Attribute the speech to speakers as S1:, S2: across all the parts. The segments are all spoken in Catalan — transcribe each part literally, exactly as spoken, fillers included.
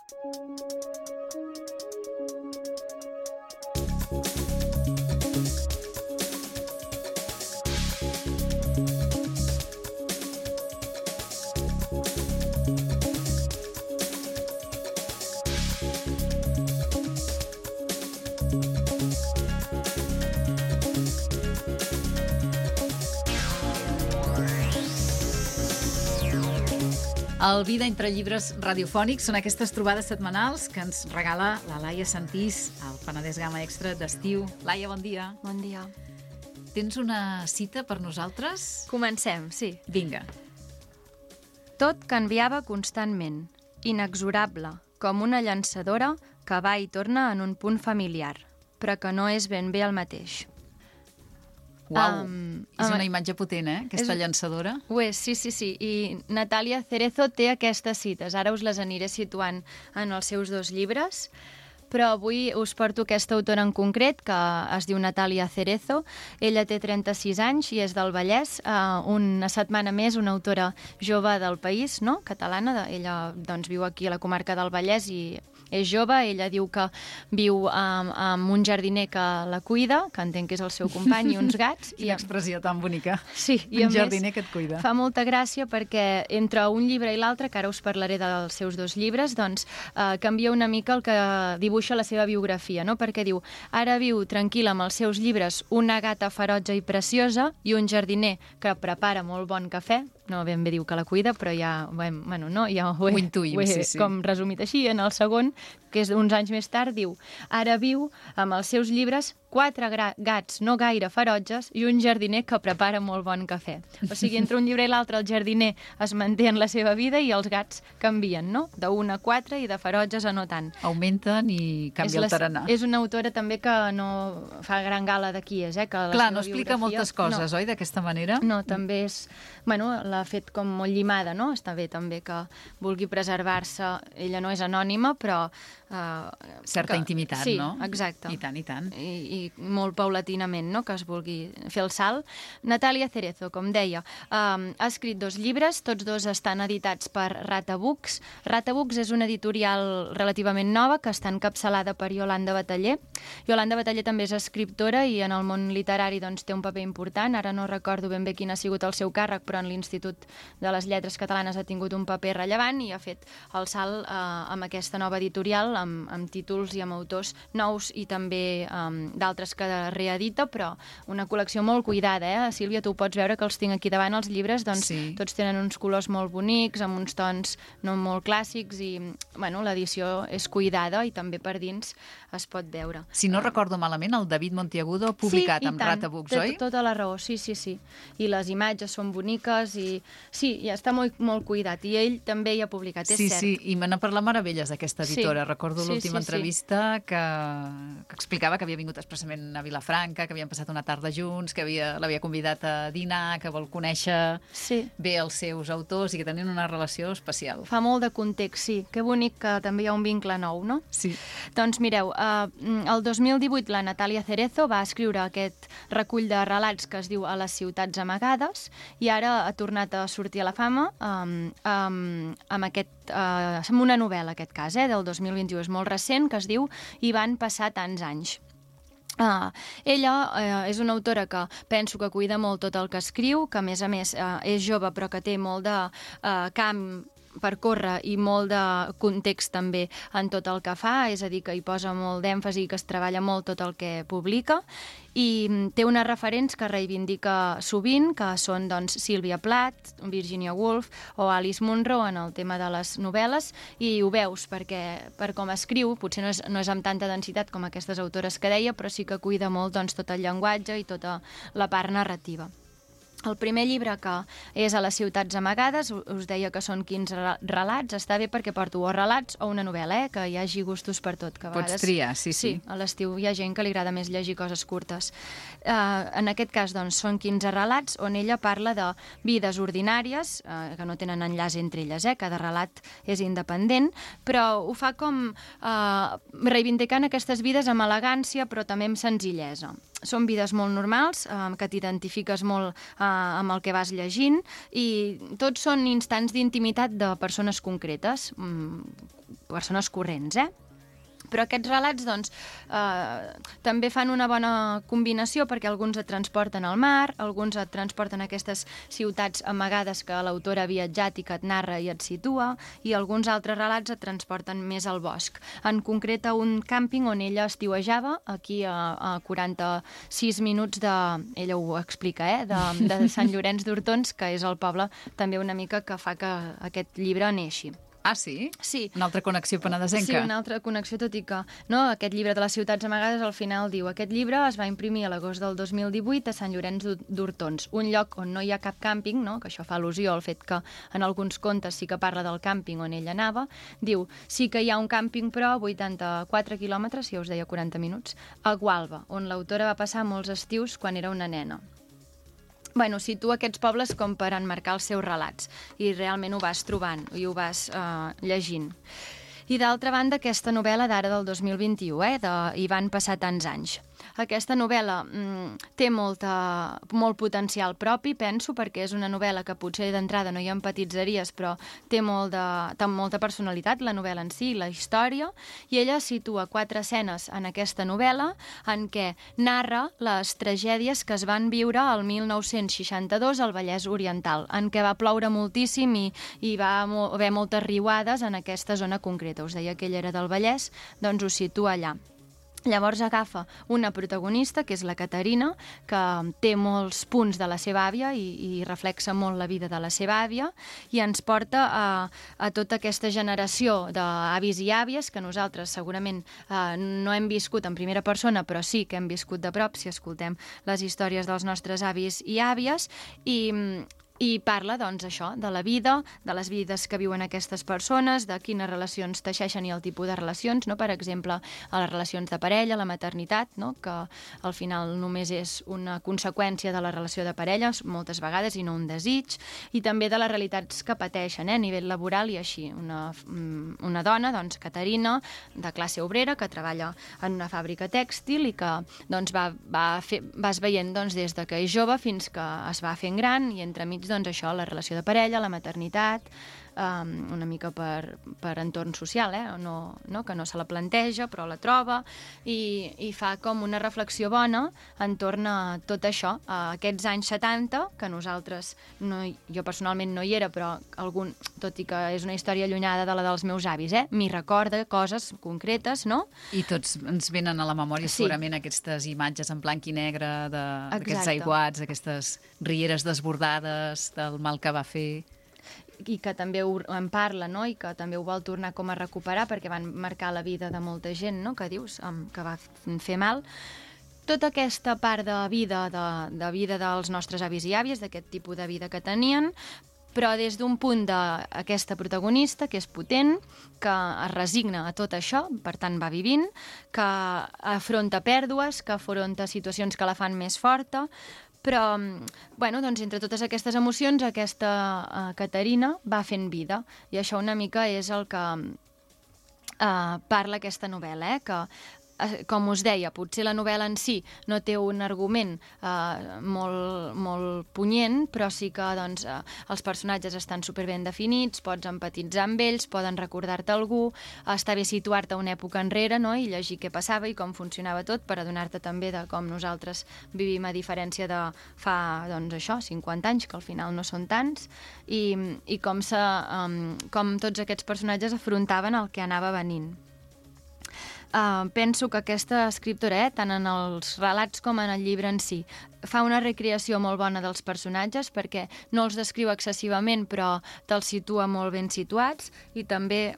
S1: El Vida entre llibres radiofònics són aquestes trobades setmanals que ens regala la Laia Santís al Penedès Gamma Extra d'estiu. Laia, bon dia.
S2: Bon dia.
S1: Tens una cita per nosaltres?
S2: Comencem, sí.
S1: Vinga.
S2: Tot canviava constantment, inexorable, com una llançadora que va i torna en un punt familiar, però que no és ben bé el mateix.
S1: Uau, um, és una imatge potent, eh, aquesta és, llançadora.
S2: Ho és, sí, sí, sí. I Natalia Cerezo té aquestes cites. Ara us les aniré situant en els seus dos llibres, però avui us porto aquesta autora en concret, que es diu Natalia Cerezo. Ella té trenta-sis anys i és del Vallès. Uh, una setmana més, una autora jove del país, no?, catalana. Ella doncs, viu aquí a la comarca del Vallès i és jove. Ella diu que viu amb, amb un jardiner que la cuida, que entenc que és el seu company, i uns gats.
S1: Quina expressió tan bonica.
S2: Sí, i
S1: un jardiner que et cuida.
S2: Fa molta gràcia perquè entre un llibre i l'altre, que ara us parlaré dels seus dos llibres, doncs eh, canvia una mica el que dibuixa la seva biografia, no? Perquè diu, ara viu tranquil·la amb els seus llibres una gata ferotge i preciosa i un jardiner que prepara molt bon cafè. No ben bé diu que la cuida, però ja, bueno, no, ja ho he,
S1: ho intuïm,
S2: ho he
S1: sí, sí.
S2: com resumit així. En el segon, que és uns anys més tard, diu, ara viu amb els seus llibres quatre gats no gaire ferotges i un jardiner que prepara molt bon cafè. O sigui, entre un llibre i l'altre el jardiner es manté en la seva vida i els gats canvien, no? D'un a quatre i de ferotges a no tant.
S1: Augmenten i canvia el tarannà.
S2: És una autora també que no fa gran gala de qui és, eh? Que
S1: Clar, no explica moltes coses,
S2: no.
S1: Oi, d'aquesta manera?
S2: No, també és... Bueno, l'ha fet com molt llimada, no? Està bé també que vulgui preservar-se. Ella no és anònima, però... Uh,
S1: Certa
S2: que,
S1: intimitat,
S2: sí,
S1: no?
S2: Sí, exacte.
S1: I tant, i tant.
S2: I, i molt paulatinament, no?, que es vulgui fer el salt. Natalia Cerezo, com deia, um, ha escrit dos llibres, tots dos estan editats per Rata Books. Rata Books és una editorial relativament nova que està encapçalada per Yolanda Bataller. Yolanda Bataller també és escriptora i en el món literari doncs, té un paper important. Ara no recordo ben bé quin ha sigut el seu càrrec, però en l'Institut de les Lletres Catalanes ha tingut un paper rellevant i ha fet el salt uh, amb aquesta nova editorial, amb, amb títols i amb autors nous i també um, d'altres que reedita, però una col·lecció molt cuidada, eh? Sílvia, tu pots veure que els tinc aquí davant, els llibres, doncs sí. Tots tenen uns colors molt bonics, amb uns tons no molt clàssics i, bueno, l'edició és cuidada i també per dins es pot veure.
S1: Si no uh, recordo malament, el David Monteagudo ha publicat
S2: sí,
S1: amb Rata Books, oi?
S2: Sí, tota la raó, sí, sí, sí. I les imatges són boniques i sí, ja està molt, molt cuidat. I ell també hi ha publicat, és
S1: sí,
S2: cert.
S1: Sí, sí, i me n'ha parlat meravelles d'aquesta editora.
S2: Sí.
S1: Recordo
S2: Sí,
S1: l'última
S2: sí,
S1: entrevista sí. que, que explicava que havia vingut expressament a Vilafranca, que havien passat una tarda junts, que l'havia convidat a dinar, que vol conèixer
S2: sí.
S1: bé els seus autors i que tenien una relació especial.
S2: Fa molt de context, sí. Que bonic que també hi ha un vincle nou, no?
S1: Sí.
S2: Doncs mireu, eh, el dos mil divuit la Natalia Cerezo va escriure aquest recull de relats que es diu A les ciutats amagades i ara ha tornat a sortir a la fama eh, amb, amb aquest Uh, amb una novel·la, aquest cas, eh, del dos mil vint-i-u, és molt recent, que es diu I van passar tants anys. Uh, ella uh, és una autora que penso que cuida molt tot el que escriu, que a més a més uh, és jove però que té molt de uh, camp per córrer i molt de context també en tot el que fa, és a dir, que hi posa molt d'èmfasi i que es treballa molt tot el que publica i té unes referents que reivindica sovint, que són doncs, Sylvia Plath, Virginia Woolf o Alice Munro en el tema de les novel·les i ho veus perquè per com escriu, potser no és, no és amb tanta densitat com aquestes autores que deia, però sí que cuida molt doncs, tot el llenguatge i tota la part narrativa. El primer llibre, que és A les ciutats amagades, us deia que són quinze relats, està bé perquè porto o relats o una novel·la, eh? Que hi hagi gustos per tot. Que a vegades...
S1: Pots triar, sí, sí.
S2: Sí, a l'estiu hi ha gent que li agrada més llegir coses curtes. Uh, en aquest cas, doncs, són quinze relats on ella parla de vides ordinàries, uh, que no tenen enllaç entre elles, eh? Cada relat és independent, però ho fa com uh, reivindicant aquestes vides amb elegància, però també amb senzillesa. Són vides molt normals, eh, que t'identifiques molt eh, amb el que vas llegint i tots són instants d'intimitat de persones concretes. Mm, persones corrents, eh? Però aquests relats doncs, eh, també fan una bona combinació perquè alguns et transporten al mar, alguns et transporten a aquestes ciutats amagades que l'autora ha viatjat i que et narra i et situa, i alguns altres relats et transporten més al bosc. En concret a un càmping on ella estiuejava, aquí a, a quaranta-sis minuts de... Ella ho explica, eh? De, de Sant Llorenç d'Hortons, que és el poble també una mica que fa que aquest llibre neixi.
S1: Ah, sí?
S2: Sí.
S1: Una altra connexió penedesenca.
S2: Sí, una altra connexió, tot i que no, aquest llibre de les ciutats amagades al final diu: aquest llibre es va imprimir a l'agost del dos mil divuit a Sant Llorenç d'Hortons, un lloc on no hi ha cap càmping, no? Que això fa al·lusió al fet que en alguns contes sí que parla del càmping on ella anava. Diu, sí que hi ha un càmping, però a vuitanta-quatre quilòmetres, ja us deia quaranta minuts, a Gualba, on l'autora va passar molts estius quan era una nena. Bueno, situa aquests pobles com per enmarcar els seus relats, i realment ho vas trobant i ho vas eh, llegint. I d'altra banda, aquesta novel·la d'ara del dos mil vint-i-u, eh, de Hi van passar tants anys. Aquesta novel·la mm, té molta, molt potencial propi, penso, perquè és una novel·la que potser d'entrada no hi empatitzaries, però té, molt de, té molta personalitat, la novel·la en si, la història, i ella situa quatre escenes en aquesta novel·la en què narra les tragèdies que es van viure al mil nou-cents seixanta-dos al Vallès Oriental, en què va ploure moltíssim i, i va haver moltes riuades en aquesta zona concreta. Us deia que ella era del Vallès, doncs ho situa allà. Llavors agafa una protagonista, que és la Caterina, que té molts punts de la seva àvia i, i reflexa molt la vida de la seva àvia, i ens porta a, a tota aquesta generació d'avis i àvies que nosaltres segurament eh, no hem viscut en primera persona, però sí que hem viscut de prop si escoltem les històries dels nostres avis i àvies, i... I parla, doncs, això, de la vida, de les vides que viuen aquestes persones, de quines relacions teixeixen i el tipus de relacions, no? Per exemple, a les relacions de parella, la maternitat, no? Que al final només és una conseqüència de la relació de parella, moltes vegades, i no un desig, i també de les realitats que pateixen, eh? A nivell laboral i així. Una, una dona, doncs, Caterina, de classe obrera, que treballa en una fàbrica tèxtil i que doncs, va, va fer, vas veient doncs, des de que és jove fins que es va fent gran, i entremig doncs això, la relació de parella, la maternitat, um, una mica per, per entorn social, eh? no, no, que no se la planteja, però la troba, i, i fa com una reflexió bona entorn a tot això, a aquests anys setanta, que nosaltres, no, jo personalment no hi era, però algun, tot i que és una història allunyada de la dels meus avis, eh? M'hi recorda coses concretes, no?
S1: I tots ens venen a la memòria
S2: Sí.
S1: segurament aquestes imatges en blanc i negre d'aquests aiguats, aquestes rieres desbordades, del mal que va fer.
S2: I que també ho, en parla, no? I que també ho vol tornar com a recuperar perquè van marcar la vida de molta gent, no? Que dius, um, que va fer mal. Tota aquesta part de vida, de, de vida dels nostres avis i àvies, d'aquest tipus de vida que tenien, però des d'un punt d'aquesta protagonista, que és potent, que es resigna a tot això, per tant va vivint, que afronta pèrdues, que afronta situacions que la fan més forta, però, bueno, doncs, entre totes aquestes emocions, aquesta uh, Caterina va fent vida, i això una mica és el que uh, parla aquesta novel·la, eh? Que com us deia, potser la novel·la en si no té un argument eh, molt, molt punyent, però sí que doncs, eh, els personatges estan superben definits, pots empatitzar amb ells, poden recordar-te algú, està bé situar-te una època enrere, no? I llegir què passava i com funcionava tot, per adonar-te també de com nosaltres vivim, a diferència de fa, doncs això, cinquanta anys, que al final no són tants, i, i com, se, um, com tots aquests personatges afrontaven el que anava venint. Uh, penso que aquesta escriptora, eh, tant en els relats com en el llibre en si, fa una recreació molt bona dels personatges perquè no els descriu excessivament però te'ls situa molt ben situats, i també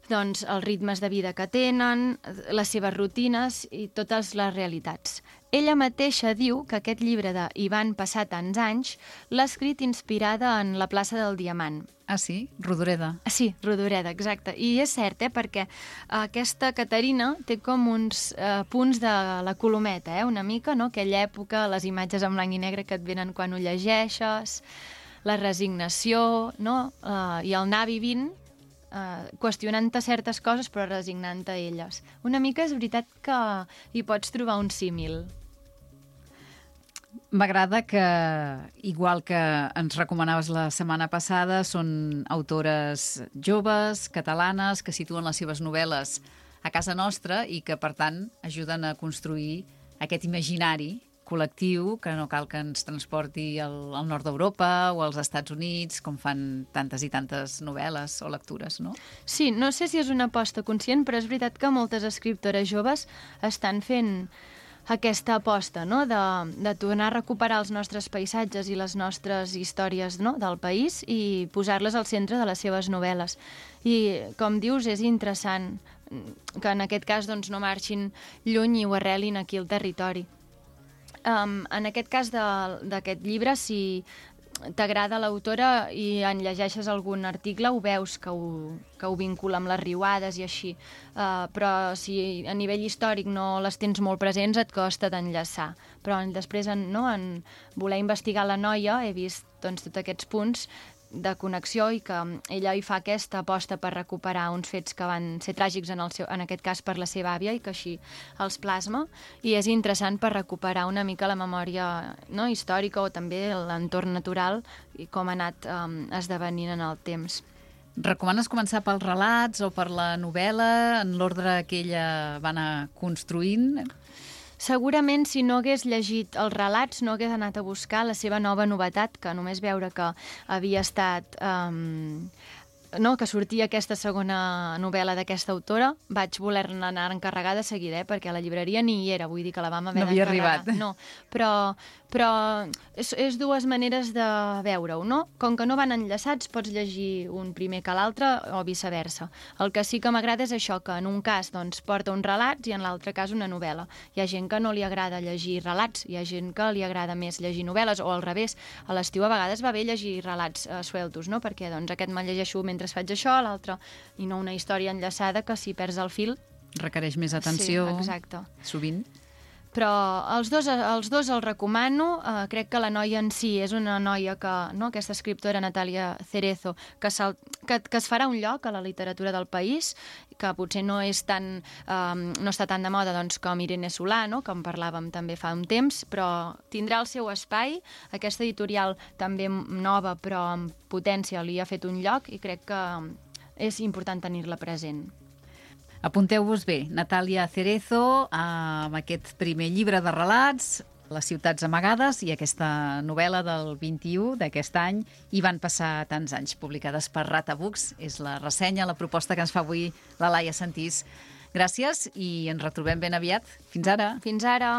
S2: doncs, els ritmes de vida que tenen, les seves rutines i totes les realitats. Ella mateixa diu que aquest llibre de Hi van passar tants anys l'ha escrit inspirada en la plaça del Diamant.
S1: Ah, sí? Rodoreda.
S2: Sí, Rodoreda, exacte. I és cert, eh, perquè aquesta Caterina té com uns eh, punts de la Colometa, eh, una mica, no? Aquella època, les imatges en blanc i negre que et venen quan ho llegeixes, la resignació, no? Eh, I el anar vivint, Uh, qüestionant-te certes coses però resignant-te a elles. Una mica és veritat que hi pots trobar un símil.
S1: M'agrada que, igual que ens recomanaves la setmana passada, són autores joves, catalanes, que situen les seves novel·les a casa nostra i que, per tant, ajuden a construir aquest imaginari col·lectiu que no cal que ens transporti al, al nord d'Europa o als Estats Units, com fan tantes i tantes novel·les o lectures, no?
S2: Sí, no sé si és una aposta conscient, però és veritat que moltes escriptores joves estan fent aquesta aposta, no?, de, de tornar a recuperar els nostres paisatges i les nostres històries, no?, del país i posar-les al centre de les seves novel·les. I, com dius, és interessant que en aquest cas doncs, no marxin lluny i ho arrelin aquí al territori. Um, en aquest cas d'aquest llibre, si t'agrada l'autora i en llegeixes algun article, ho veus que ho, que ho vincula amb les riuades i així. Uh, però si a nivell històric no les tens molt presents, et costa d'enllaçar. Però després, en, no, en voler investigar la noia, he vist doncs, tots aquests punts de connexió i que ella hi fa aquesta aposta per recuperar uns fets que van ser tràgics en, el seu, en aquest cas per la seva àvia i que així els plasma, i és interessant per recuperar una mica la memòria, no, històrica o també l'entorn natural i com ha anat um, esdevenint en el temps.
S1: Recomanes començar pels relats o per la novel·la, en l'ordre que ella va anar construint?
S2: Segurament, si no hagués llegit els relats, no hagués anat a buscar la seva nova novetat, que només veure que havia estat... Um, no, que sortia aquesta segona novel·la d'aquesta autora, vaig voler-ne anar a encarregar de seguida, eh, perquè a la llibreria ni hi era, vull dir que la vam haver
S1: no havia
S2: d'encarregar.
S1: arribat.
S2: No, però, però és, és dues maneres de veure-ho, no? Com que no van enllaçats, pots llegir un primer que l'altre o viceversa. El que sí que m'agrada és això, que en un cas doncs, porta uns relats i en l'altre cas una novel·la. Hi ha gent que no li agrada llegir relats, hi ha gent que li agrada més llegir novel·les, o al revés, a l'estiu a vegades va bé llegir relats eh, sueltos, no? Perquè doncs, aquest me'l llegeixo mentre faig això, l'altre, i no una història enllaçada que si perds el fil...
S1: Requereix més atenció,
S2: sí, exacte.
S1: Sovint.
S2: Però els dos, els dos els recomano. Uh, crec que la noia en si és una noia que, no, aquesta escriptora Natalia Cerezo, que, que, que es farà un lloc a la literatura del país, que potser no és tan, um, no està tan de moda doncs, com Irene Solà, no, com parlàvem també fa un temps, però tindrà el seu espai. Aquesta editorial també nova, però amb potència, li ha fet un lloc i crec que és important tenir-la present.
S1: Apunteu-vos bé, Natalia Cerezo, amb aquest primer llibre de relats, Les ciutats amagades, i aquesta novel·la del vint-i-u d'aquest any, Hi van passar tants anys, publicades per Rata Books. És la ressenya, la proposta que ens fa avui la Laia Sentís. Gràcies i ens retrobem ben aviat. Fins ara.
S2: Fins ara.